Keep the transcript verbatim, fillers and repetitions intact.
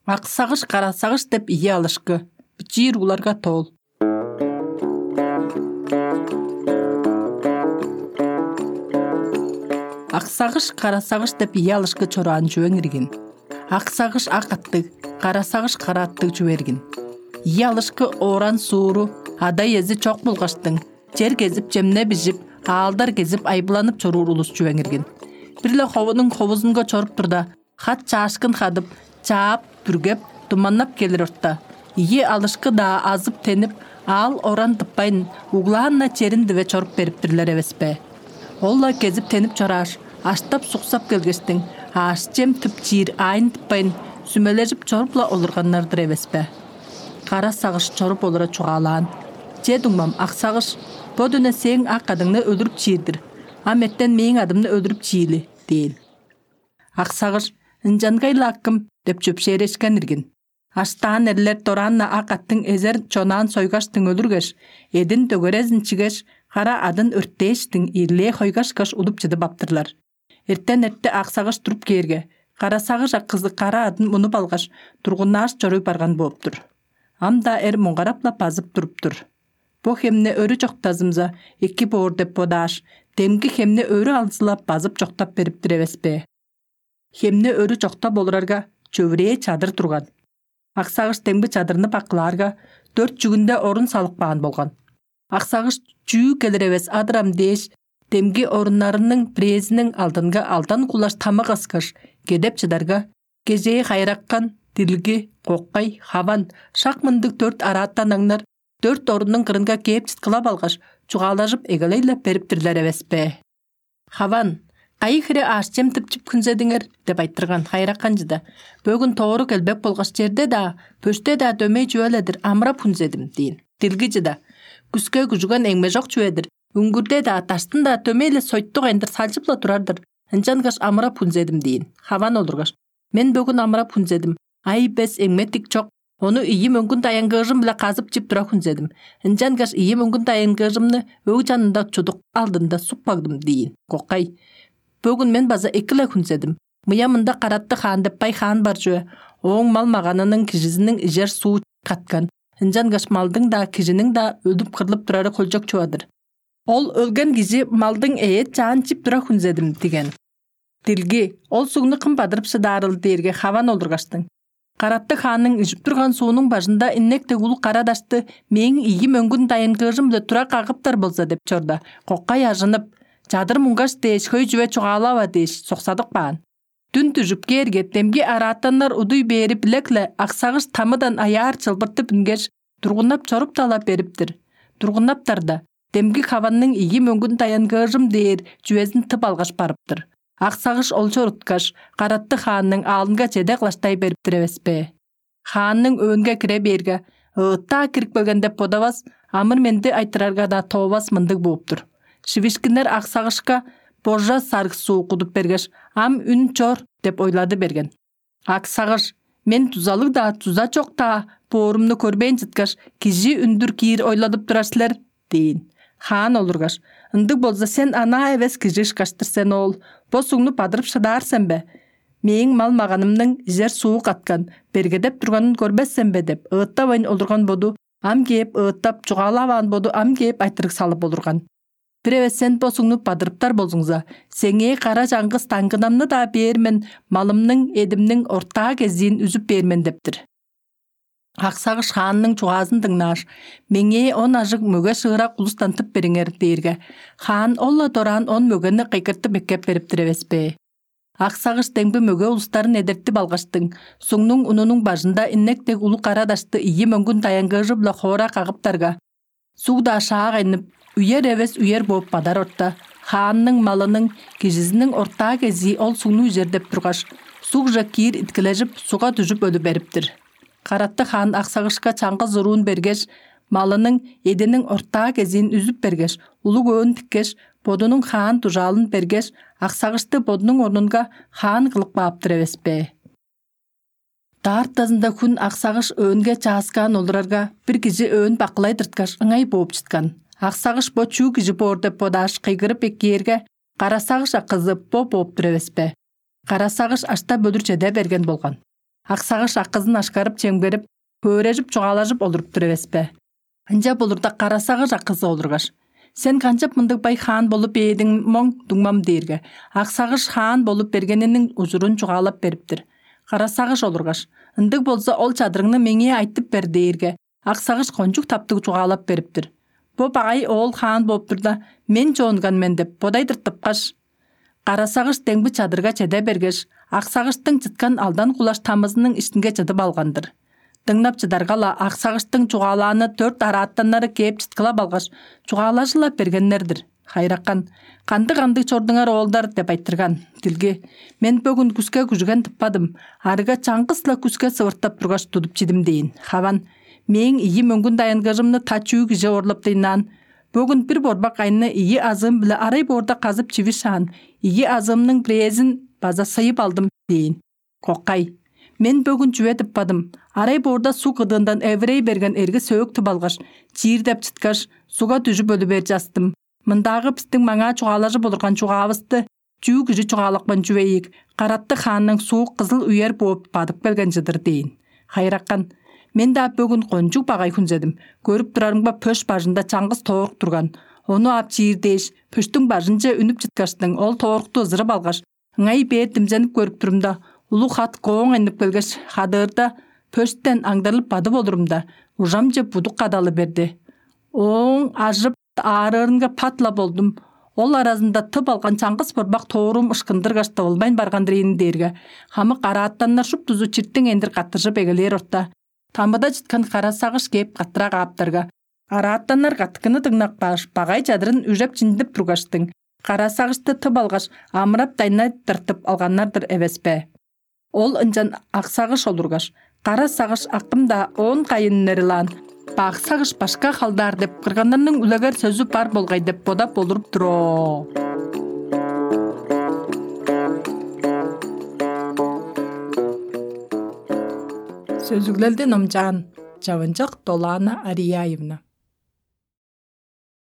Ак сагыш, кара сагыш деп ийи алышкы. Бичиир угларга тоол. Ак сагыш, кара сагыш деп ийи алышкы чораан чүвең иргин. Ак сагыш ак аттыг, кара сагыш кара аттыг чүве иргин. Ийи алышкы ооран сууру, ада-иези чок болгаштың, чер кезип, чемне бижип, аалдар кезип, айбыланып чоруур улус чүвең иргин. Бир-ле ховунуң ховузунга чоруп турда, хат чаашкын хадып, чаап, бүргеп, думаннап келир орта, ийи алышкы-даа азып-тенип, аал-оран тыппайн, углаан-на черин диве чоруп бериптирлер эвес бе? Ол-ла кезип-тенип чорааш, аштап-суксап келгештиң, аъш-чем тып чиир аайын тыппайн, сүмележип чоруп-ла олурганнар-дыр эвес бе? Кара сагыш чоруп олура чугаалаан: «Че, дуңмам, ак сагыш, бо дүне сээң ак адыңны өлүрүп чиир-дир, ам эртен мээң адымны өлүрүп чиили» – дээн. Ак сагыш: «Ынчангай-ла, акым» – деп чөпшээрешкен иргин. Аштаан эрлер дораан-на ак аттың эзер чонаан сойгаштың өлүргеш, эдин дөгерезин чигеш, кара адын өрттээштиң, ирлээ хойгашкаш, удуп чыдып аптырлар. Эртен эрте ак сагыш туруп кээрге, кара сагыш акызы кара адын мунуп алгаш, тургуннааш чоруй барган бооп-тур. Ам-даа эр муңгарап-ла базып туруп-тур. Бо хемни өрү чоктазымза, эки боор деп бодааш, демги хемни өрү алзылап базып чоктап бериптир эвес бе? Хемни өрү чоктап олурарга, чөвүрээ чадыр турган. Ак сагыш демги чадырны бакылаарга, дөрт чүгүнде орун салып каан болган. Ак сагыш: «Чүү келир эвес адырам» – дээш, демги оруннарының бирээзиниң алдынга алдан кулаш тамык ыскаш, кедеп чыдарга, кежээ Хайыракан, Дилги, Кокай, Хаван, шак мындыг дөрт араатан аңнар дөрт оруннуң кырынга кээп чыткылап алгаш, чугаалажып эгелей-ле бериптирлер эвес бе? Хаван: «Кайы хире аъш-чем тыпчып хүнзедиңер?» – деп айтырган. Хайыракан чыда: «Бөгүн тоору келбек болгаш, черде-даа, бөште-даа дөмей чүве-ле-дир, амырап хүнзедим» – дээн. Дилги чыда: «Күске күжүген эңмежок чүве-дир, үңгүрде-даа, даштын-даа дөмей-ле сойтугайын-дыр, салчып-ла турар-дыр, ынчангаш амырап хүнзедим» – дээн. Хаван олургаш: «Мен бөгүн амырап хүнзедим, ай-бес, эңме-тик чок, ону ийи мөңгүн даянгыыжым-биле казып чип тура хүнзедим. Ынчангаш ийи мөңгүн даянгыыжымны өг чанында чудук алдында суп кагдым» – дээн. Кокай: «Бөгүн мен база эки-ле хүнзедим. Мыя мында Каратты-Хаан деп бай хаан бар чүве, ооң мал-маганының, кижизиниң ижер суу каткан, ынчангаш малдың-даа, кижиниң-даа өлүп-кырлып турары хөлчок чува-дыр. Ол өлген кижи малдың эът-чаан чип тура хүнзедим» – диген. Дилги: «Ол сугну кым бадырып шыдаарыл?» – дээрге, Хаван олургаштың: «Каратты-Хаанның ижип турган суунуң бажында иннек дег улуг кара дашты мээң ийи мөңгүн даянгыыжым-биле тура кагыптар болза» – деп чорда, Кокай ажынып: «Чадыр муңгаш дээш, хөй чүве чугаалава» – дээш, соксадып каан. Дүн дүжүп кээрге, демги араатаннар удуй бээри билек-ле, ак сагыш тамыдан аяар чылбыртып үнгеш, тургуннап чоруп-даа-ла бериптир. Тургуннаптарда, демги Хаванның ийи мөңгүн даянгыыжым дээр чүвезин тып алгаш барыптыр. Ак сагыш ол чоруткаш, Каратты-Хаанның аалынга чеде кылаштай бериптир эвес бе? Хаанның өөнге кире бээрге, ыыттаа кирип келген деп бодавас, амыр-менди айтырарга-даа тоовас мындыг бооп-тур: шивишкиннер ак сагышка божа сарыг суу кудуп бергеш, ам үн чор деп ойлады берген. Ак сагыш: «Мен дузалыг-даа, дуза чок-даа боорумну көрбээн чыткаш, кижи үндүр киир ойладып турар силер» – дээн. Хаан олургаш: «Ындыг болза, сен анаа эвес кижи ышкаш-тыр сен, оол. Бо сугну бадырып шыдаар сен бе? Мээң мал-маганымның ижер суу каткан, бергедеп турганын көрбес сен бе?» – деп ыыттавайн олурган боду ам кээп ыыттап, чугаалаваан боду ам кээп айтырыг салып олурган. «Бир эвес сен бо сугну бадырыптар болзуңза, сеңээ кара чаңгыс даңгынамны-даа бээр мен, малымның, эдимниң ортаа кезиин үзүп бээр мен» – дептир. Ак сагыш хаанның чугаазын дыңнааш: «Меңээ он ажыг мөге шыырак улустан тып бериңер» – дээрге, хаан ол-ла дораан он мөгени кыйгыртып эккеп бериптир эвес бе? Ак сагыш демги мөге улустарын эдертип алгаштың, сугнуң унунуң бажында иннек дег улуг кара дашты ийи мөңгүн даянгыыжы-биле хоора кагыптарга, суг-даа шаак айнып, үер эвес үер бооп бадар орта, хаанның малының, кижизиниң ортаа кезии ол сугну ижер деп тургаш, сугже киир иткилежип, сугга дүжүп өлү бериптир. Каратты хаан ак сагышка чаңгыс уруун бергеш, малының, эъдиниң ортаа кезиин үзүп бергеш, улуг өөн тиккеш, бодунуң хаан дужаалын бергеш, ак сагышты бодунуң орнунга хаан кылып кааптыр эвес бе?» Даартазында хүн ак сагыш өөнге чааскаан олурарга, бир кижи өөн бакылай тырткаш, ыңай бооп чыткан. Ак сагыш бо чүү кижи боор деп бодааш, кыйгырып эккээрге, кара сагыш акызы бо бооп тур эвес бе? Кара сагыш аштап өлүр чеде берген болган. Ак сагыш акызын ашкарып чемгерип, хөөрежип чугаалажып олуруп тур эвес бе? Ынча болурда, кара сагыш акызы олургаш: «Сен канчап мындыг бай хаан болуп бээдиң моң, дуңмам?» — дээрге, ак сагыш хаан болуп бергениниң ужурун чугаалап бериптир. Кара сагыш олургаш: «Ындыг болза, ол чадырыңны меңээ айтып бер» — дээрге, ак сагыш кончуг таптыг чугаалап бериптир. «Бо багай оол хаан бооп турда, мен чоонган мен» — деп бодай тыртыпкаш, кара сагыш демги чадырга чеде бергеш, ак сагыштың чыткан алдан кулаш тамызының иштинге чыдып алган-дыр. Дыңнап чыдарга-ла, ак сагыштың чугаалааны дөрт араатаннары кээп чыткылап алгаш, чугаалажылап бергеннер-дир. Хайыракан: «Кандыг-кандыг чордуңар, оолдар?» — деп айтырган. Дилги: «Мен бөгүн күске күжүген тыппадым, арыга чаңгыс-ла күске сывыртап тургаш, тудуп чидим» — дээн. Хаван: «Мээң ийи мөңгүн дайынгыжымны та чүү кижи оорлап дыйнаан. Бөгүн бир борбак айны ийи азыым-биле арай боорда казып чивишаан, ийи азыымның бирээзин база сыйып алдым» — дээн. Кокай: «Мен бөгүн чүве тыппадым. Арай боорда суг кыдыындан эвирей берген эрги сөөк тып алгаш, чиирдеп чыткаш, сугга дүжүп өлү бер частым. Мындаагы бистиң маңаа чугаалажып олурган чугаавысты чүү кижи чугаалапкан чүве ийик, каратты хаанның суук кызыл үер бооп бадып келген чыдыр» — дээн. Хайыракан: «Мен-даа бөгүн кончуг багай хүнзедим. Көрүп турарымга, пөш бажында чаңгыс тоорук турган. Ону ап чиир дээш, пөштүң бажынче үнүп чыткаштың, ол тоорукту ызырып алгаш, ыңай бээр димзенип көрүп турумда, улуг хат кооң айнып келгеш, хадыырда, пөштен аңдарлып бадып олурумда, ужамче будук кадалы берди. Ооң ажып аарыырынга пат-ла болдум. Ол аразында тып алган чаңгыс борбак тоорум ышкындыргаш, тывылбайн барган-дыр ийин» — дээрге, хамык араатаннар шуптузу чиртиң эндир каттыржып эгелээр орта, тамыда чыткан кара сагыш кээп каттыра кааптарга, араатаннар каттыкыны дыңнап кааш, багай чадырын үжеп-чиндип тургаштың, кара сагышты тып алгаш, амырап-дайнай тыртып алганнар-дыр эвес бе? Ол ынчан ак сагыш олургаш: «Кара сагыш акым-даа, оон кайын үнер-илаан, бак сагыш башка халдаар» — деп кырганнарның үлегер сөзү бар болгай деп бодап олуруп тур оо. Сөзүглелди номчаан Чавынчак Долаана Арияевна.